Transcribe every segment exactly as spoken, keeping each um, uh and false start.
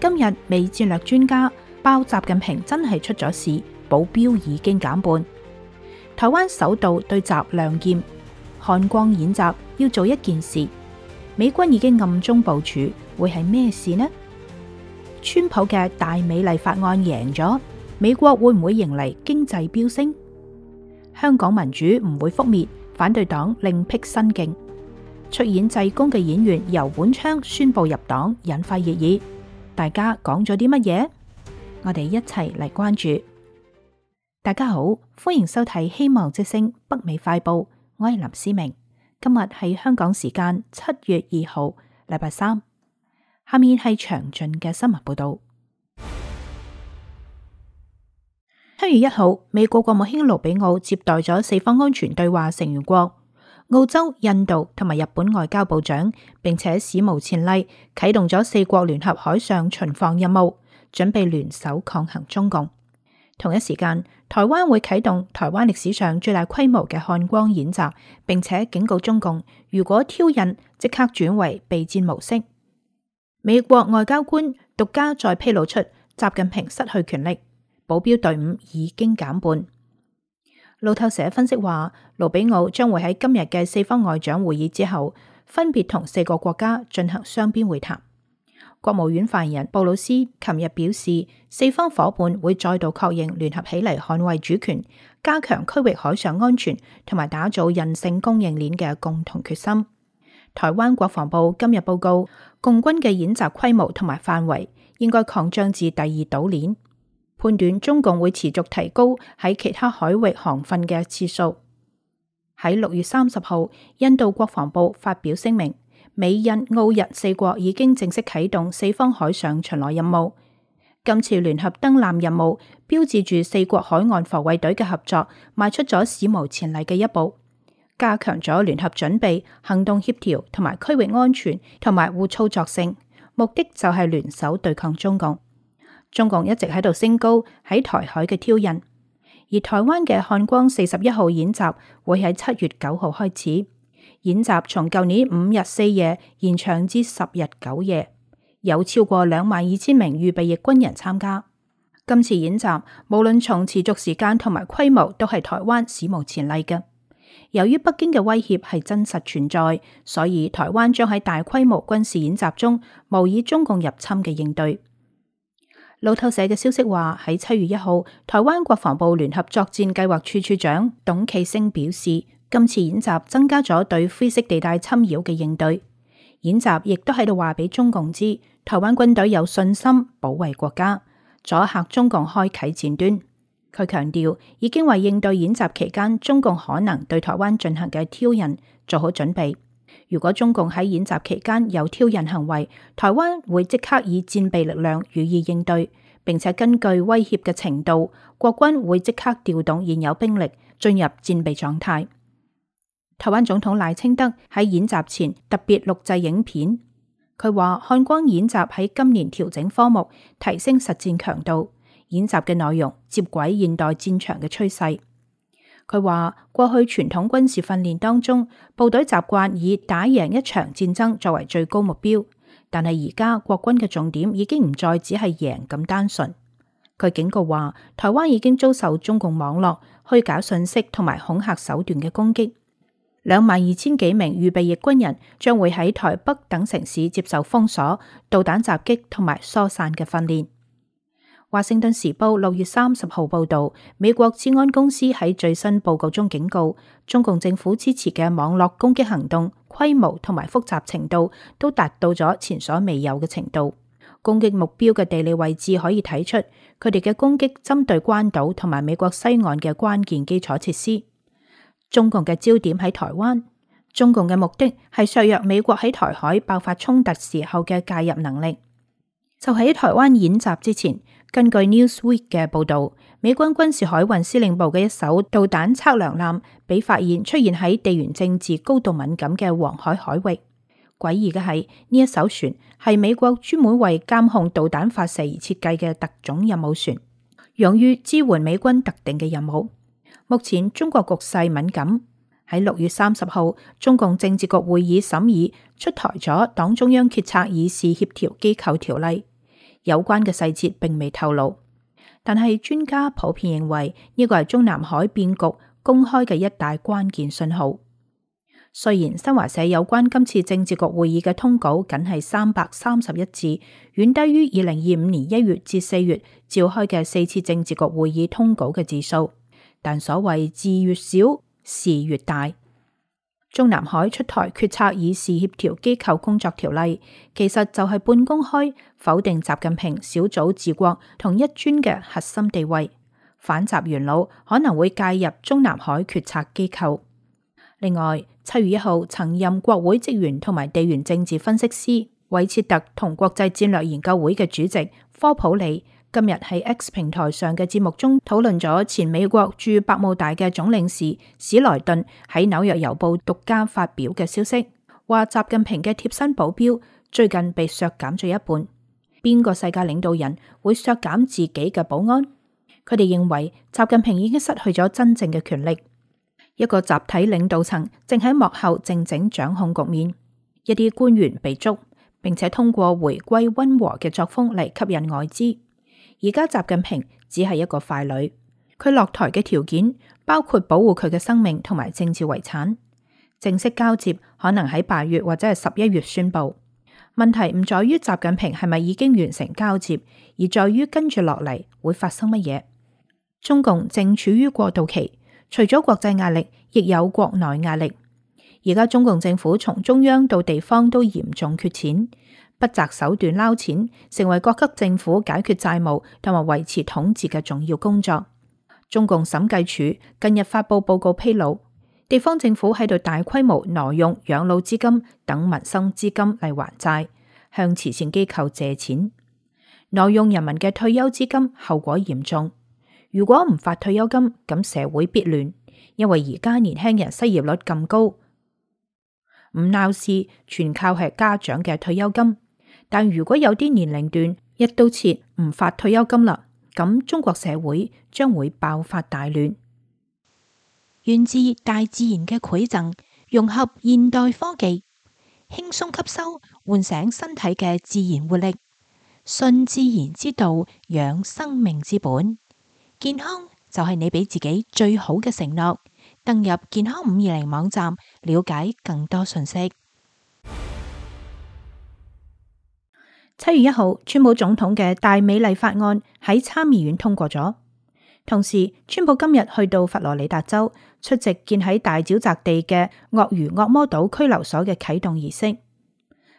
今日美戰略專家爆習近平真係出咗事，保鏢已經減半。台灣首度對習亮劍，漢光演習要做一件事，美軍已經暗中部署，會係咩事呢？川普嘅大美麗法案贏咗，美國會唔會迎嚟經濟飆升？香港民主唔會覆滅，反對黨另辟新徑。出演濟公嘅演員游本昌宣布入黨，引發熱議。大家講咗啲乜嘢？我哋一齊嚟關注。大家好，歡迎收睇《希望之聲》北美快報，我係林思明。今日係香港時間七月二號，禮拜三。下面係詳盡嘅新聞報道。七月一號，美國國務卿盧比奧接待咗四方安全對話成員國澳洲、印度同埋日本外交部長，並且史無前例啟動咗四國聯合海上巡防任務，準備聯手抗衡中共。同一時間，台灣會啟動台灣歷史上最大規模嘅漢光演習，並且警告中共，如果挑釁，即刻轉為備戰模式。美國外交官獨家再披露出習近平失去權力，保鏢隊伍已經減半。路透社分析話，盧比奧將會喺今日嘅四方外長會議之後，分別同四個國家進行雙邊會談。國務院發言人布魯斯琴日表示，四方夥伴會再度確認聯合起嚟捍衛主權、加強區域海上安全同埋打造韌性供應鏈嘅共同決心。台灣國防部今日報告，共軍嘅演習規模同埋範圍應該擴張至第二島鏈。判斷中共會持續提高喺其他海域航訓嘅次數。喺六月三十號，印度國防部發表聲明，美印澳日四國已經正式啟動四方海上巡邏任務。今次聯合登艦任務標誌住四國海岸防衛隊嘅合作邁出咗史無前例嘅一步，加強咗聯合準備、行動協調同埋區域安全同埋互操作性，目的就係聯手對抗中共。中共一直喺度升高喺台海嘅挑釁，而台灣嘅漢光四十一號演習會喺七月九號開始。演習從舊年五日四夜延長至十日九夜，有超過兩萬二千名預備役軍人參加。今次演習無論從持續時間同埋規模都係台灣史無前例嘅。由於北京嘅威脅係真實存在，所以台灣將喺大規模軍事演習中模擬中共入侵嘅應對。路透社嘅消息話，喺七月一號，台灣國防部聯合作戰計劃處處長董啟星表示，今次演習增加咗對灰色地帶侵擾嘅應對。演習亦都喺度話俾中共知，台灣軍隊有信心保衛國家，阻嚇中共開啟戰端。佢強調，已經為應對演習期間中共可能對台灣進行嘅挑釁做好準備。如果中共喺演習期間有挑釁行為，台灣會即刻以戰備力量予以應對，並且根據威脅嘅程度，國軍會即刻調動現有兵力進入戰備狀態。台灣總統賴清德喺演習前特別錄製影片，佢話漢光演習喺今年調整科目，提升實戰強度，演習嘅內容接軌現代戰場嘅趨勢。佢話過去傳統軍事訓練當中，部隊習慣以打贏一場戰爭作為最高目標，但係而家國軍嘅重點已經唔再只係贏咁單純。佢警告話，台灣已經遭受中共網絡、虛假信息同埋恐嚇手段嘅攻擊。兩萬二千幾名預備役軍人將會喺台北等城市接受封鎖、導彈襲擊同埋疏散嘅訓練。華盛頓時報六月三十號報道，美國治安公司喺最新報告中警告，中共政府支持嘅網絡攻擊行動規模同埋複雜程度都達到咗前所未有嘅程度。攻擊目標嘅地理位置可以睇出，佢哋嘅攻擊針對關島同埋美國西岸嘅關鍵基礎設施。中共嘅焦點喺台灣，中共嘅目的係削弱美國喺台海爆發衝突時候嘅介入能力。就喺台灣演習之前，根據 Newsweek 嘅報導，美軍軍事海運司令部嘅一艘導彈測量艦被發現出現喺地緣政治高度敏感嘅黃海海域。詭異嘅係，呢一艘船係美國專門為監控導彈發射而設計嘅特種任務船，用於支援美軍特定嘅任務。目前中國局勢敏感，喺六月三十號，中共政治局會議審議出台咗黨中央決策議事協調機構條例。有關嘅細節並未透露。但係專家普遍認為呢個係中南海變局公開嘅一大關鍵信號。雖然新華社有關今次政治局會議嘅通稿僅係三百三十一字，遠低於二零二五年一月至四月召開嘅四次政治局會議通稿嘅字數，但所謂字越少，事越大。中南海出台決策議事協調機構工作條例，其實就係半公開否定習近平小組治國同一尊嘅核心地位，反習元老可能會介入中南海決策機構。另外，七月一號曾任國會職員同埋地緣政治分析師韋切特同國際戰略研究會嘅主席科普里今日喺 X 平台上嘅節目中討論咗前美國駐百慕大嘅總領事史萊頓喺紐約郵報獨家發表嘅消息，話習近平嘅貼身保鏢最近被削減咗一半。邊個世界領導人會削減自己嘅保安？佢哋認為習近平已經失去咗真正嘅權力。一個集體領導層正喺幕後靜靜掌控局面，一啲官員被捉，並且通過回歸溫和嘅作風嚟吸引外資。而家習近平只係一個傀儡，佢落台嘅條件包括保護佢嘅生命同埋政治遺產。正式交接可能喺八月或者係十一月宣布。問題唔在於習近平係咪已經完成交接，而在於跟住落嚟會發生乜嘢。中共正處於過渡期。除咗國際壓力，亦有國內壓力。而家中共政府從中央到地方都嚴重缺錢，不擇手段撈錢，成為各級政府解決債務同埋維持統治嘅重要工作。中共審計署近日發佈報告披露，地方政府喺度大規模挪用養老資金等民生資金嚟還債，向慈善機構借錢，挪用人民嘅退休資金，後果嚴重。如果唔發退休金，咁社會必亂，因為而家年輕人失業率咁高，唔鬧事全靠係家長嘅退休金。但如果有啲年齡段一刀切唔發退休金啦，咁中國社會將會爆發大亂。源自大自然嘅饋贈，融合現代科技，輕鬆吸收，喚醒身體嘅自然活力，順自然之道，養生命之本。健康就係你俾自己最好嘅承諾。登入健康五二零網站，了解更多信息。七月一號，川普總統嘅大美麗法案喺參議院通過咗。同時，川普今日去到佛羅里達州出席建喺大沼澤地嘅鱷魚惡魔島拘留所嘅啟動儀式。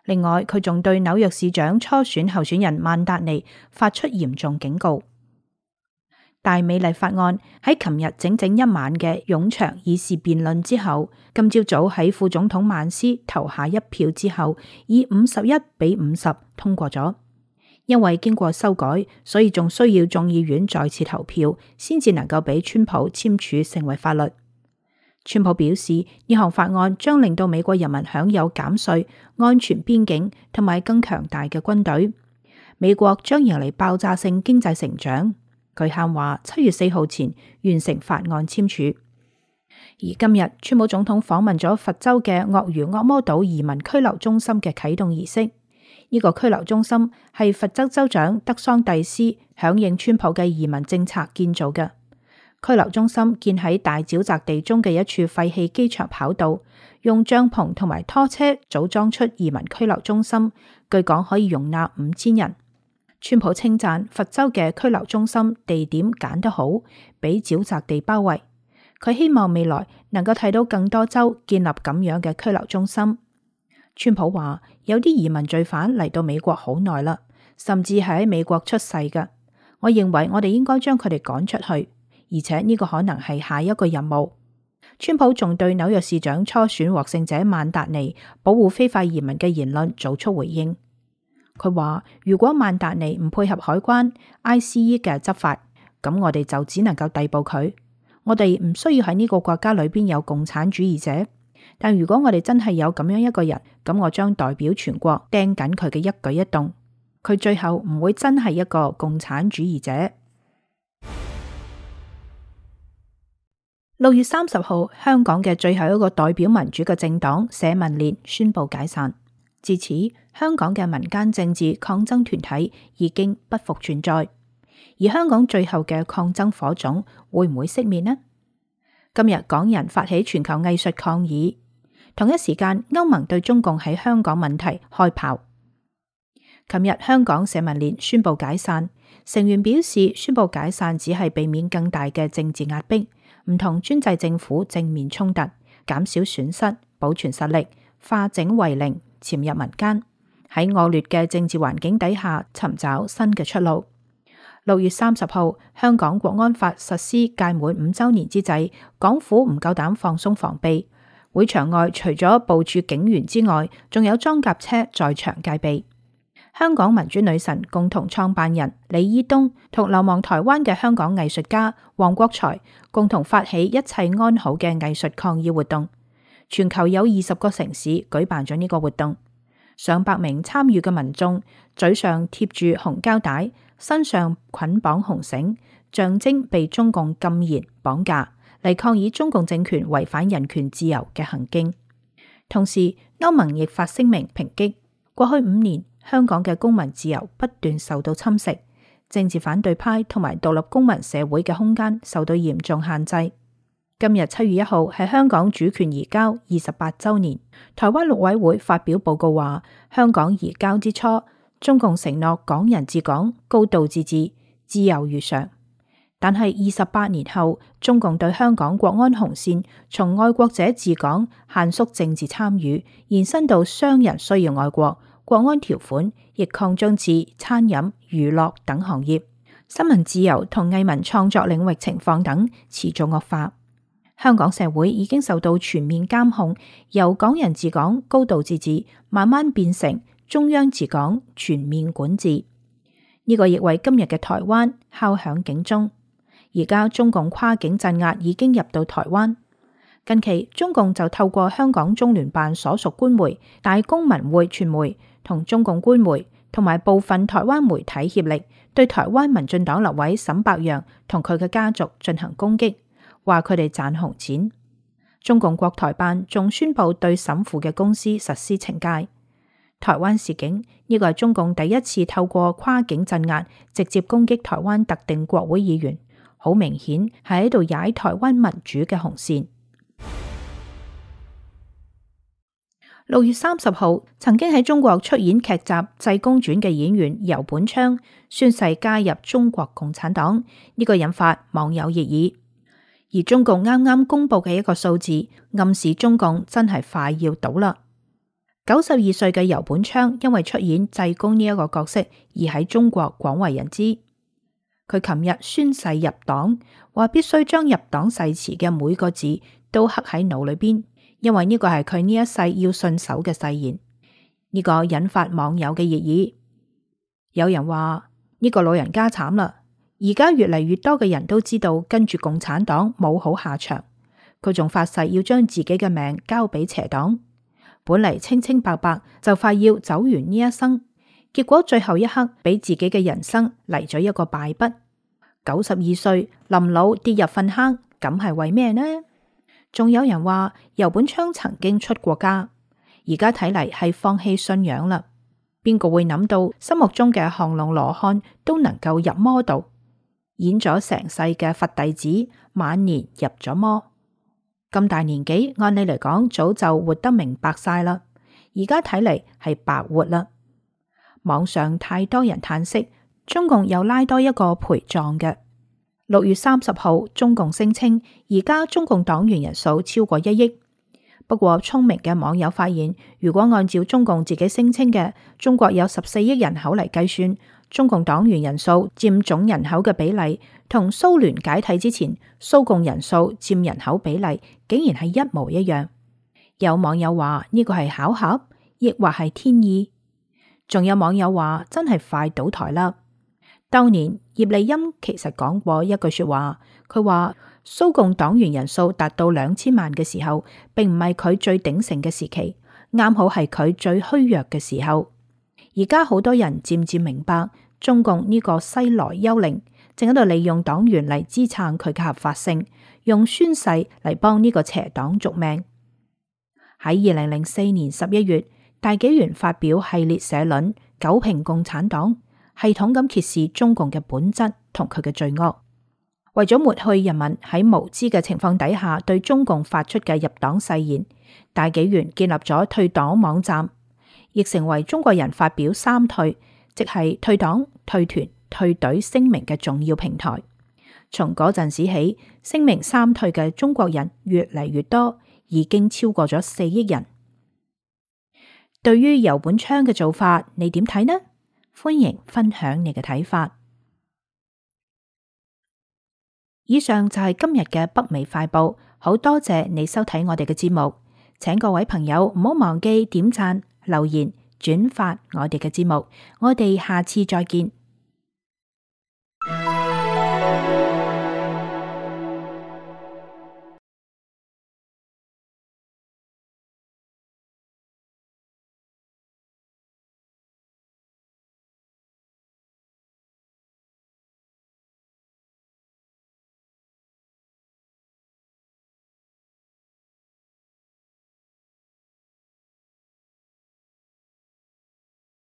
另外，佢仲對紐約市長初選候選人曼達尼發出嚴重警告。大美麗法案喺琴日整整一晚嘅冗長議事辯論之後，今朝早喺副總統曼斯投下一票之後，以五十一比五十通過咗。因為經過修改，所以仲需要眾議院再次投票，先至能夠俾川普簽署成為法律。川普表示，呢項法案將令到美國人民享有減稅、安全邊境同埋更強大嘅軍隊，美國將迎嚟爆炸性經濟成長。佢喊話七月四號前完成法案簽署。而今日，川普總統訪問咗佛州嘅鱷魚惡魔島移民拘留中心嘅啟動儀式。呢、這個拘留中心係佛州州長德桑蒂斯響應川普嘅移民政策建造嘅。拘留中心建喺大沼澤地中嘅一處廢棄機場跑道，用帳篷同埋拖車組裝出移民拘留中心，據講可以容納五千人。川普稱讚佛州嘅拘留中心地點揀得好，俾沼澤地包圍。佢希望未來能夠睇到更多州建立咁樣嘅拘留中心。川普話有啲移民罪犯嚟到美國好耐啦，甚至係喺美國出世嘅。我認為我哋應該將佢哋趕出去，而且呢個可能係下一個任務。川普仲對紐約市長初選獲勝者曼達尼保護非法移民嘅言論做出回應。佢話如果曼達尼唔配合海關 I C E 嘅執法，咁我哋就只能夠逮捕佢。我哋唔需要喺呢個國家裏邊有共產主義者，但如果我哋真係有咁樣一個人，咁我將代表全國盯緊佢嘅一舉一動。佢最後唔會真係一個共產主義者。六月三十號，香港嘅最後一個代表民主嘅政黨社民連宣布解散。至此，香港嘅民間政治抗爭團體已經不復存在，而香港最後嘅抗爭火種會唔會熄滅呢？今日港人發起全球藝術抗議，同一時間歐盟對中共喺香港問題開炮。琴日香港社民連宣布解散，成員表示宣布解散只係避免更大嘅政治壓迫，唔同專制政府正面衝突，減少損失，保存實力，化整為零，潛入民間，喺惡劣嘅政治環境底下尋找新嘅出路。六月三十號，香港國安法實施屆滿五週年之際，港府唔夠膽放鬆防備，會場外除咗部署警員之外，仲有裝甲車在場戒備。香港民主女神共同創辦人李依東同流亡台灣嘅香港藝術家黃國財共同發起一切安好嘅藝術抗議活動，全球有二十個城市舉辦咗呢個活動，上百名參與嘅民眾嘴上貼住紅膠帶，身上捆綁紅繩，象徵被中共禁言綁架，嚟抗議中共政權違反人權自由嘅行徑。同時，歐盟亦發聲明抨擊過去五年香港嘅公民自由不斷受到侵蝕，政治反對派同埋獨立公民社會嘅空間受到嚴重限制。今日七月一號係香港主權移交二十八週年，台灣陸委會發表報告話，香港移交之初，中共承諾港人治港、高度自治、自由如常。但係二十八年後，中共對香港國安紅線從愛國者治港限縮政治參與，延伸到商人需要愛國，國安條款亦擴張至餐飲、娛樂等行業，新聞自由同藝文創作領域情況等持續惡化。香港社會已經受到全面監控，由港人治港、高度自治慢慢變成中央治港、全面管治。呢個亦為今日嘅台灣敲響警鐘。而家中共跨境鎮壓已經入到台灣。近期中共就透過香港中聯辦所屬官媒大公文匯傳媒同中共官媒同埋部分台灣媒體協力，對台灣民進黨立委沈伯洋同佢嘅家族進行攻擊，話佢哋賺紅錢。中共國台辦仲宣布對沈父嘅公司實施懲戒。台灣示警，呢個係中共第一次透過跨境鎮壓直接攻擊台灣特定國會議員，好明顯係喺度踩台灣民主嘅紅線。六月三十號，曾經喺中國出演劇集《濟公傳》嘅演員游本昌宣誓加入中國共產黨，呢個引發網友熱議。而中共啱啱公布嘅一個數字，暗示中共真係快要倒啦。九十二歲嘅游本昌因為出演濟公呢一個角色而喺中國廣為人知。佢琴日宣誓入黨，話必須將入黨誓詞嘅每個字都刻喺腦裏邊，因為呢個係佢呢一世要信守嘅誓言。呢個引發網友嘅熱議。有人話呢個老人家慘啦，而家越嚟越多嘅人都知道跟住共產黨冇好下場。佢仲發誓要將自己嘅命交俾邪黨，本嚟清清白白就快要走完呢一生，結果最後一刻俾自己嘅人生嚟咗一個敗筆。九十二歲臨老跌入糞坑，咁係為咩呢？仲有人話游本昌曾經出過家，而家睇嚟係放棄信仰啦。邊個會諗到心目中嘅降龍羅漢都能夠入魔道，演咗成世嘅佛弟子，晚年入咗魔。咁大年紀，按理嚟講早就活得明白晒啦，而家睇嚟係白活啦。網上太多人嘆息，中共又拉多一個陪葬嘅。六月三十號，中共聲稱而家中共黨員人數超過一億。不過聰明嘅網友發現，如果按照中共自己聲稱嘅中國有十四億人口嚟計算，中共黨員人數佔總人口嘅比例，同蘇聯解體之前蘇共人數佔人口比例竟然係一模一樣。有網友話呢個係巧合，亦或係天意。仲有網友話真係快倒台啦。當年葉利欽其實講過一句說話，佢話蘇共黨員人數達到兩千萬嘅時候，並唔係佢最鼎盛嘅時期，啱好係佢最虛弱嘅時候。而家好多人漸漸明白，中共呢個西來幽靈正喺度利用黨員嚟支撐佢嘅合法性，用宣誓嚟幫呢個邪黨續命。喺二零零四年十一月，大紀元發表系列社論，糾評共產黨，系統咁揭示中共嘅本質同佢嘅罪惡。為咗抹去人民喺無知嘅情況底下對中共發出嘅入黨誓言，大紀元建立咗退黨網站，亦成為中國人發表三退，即係退黨、退團、退隊聲明嘅重要平台。從嗰陣時起，聲明三退嘅中國人越嚟越多，已經超過咗四億人。對於游本昌嘅做法，你點睇呢？歡迎分享你嘅睇法。以上就係今日嘅北美快報，好多謝你收睇我哋嘅節目，請各位朋友唔好忘記點讚、留言、轉發我哋嘅節目，我哋下次再見。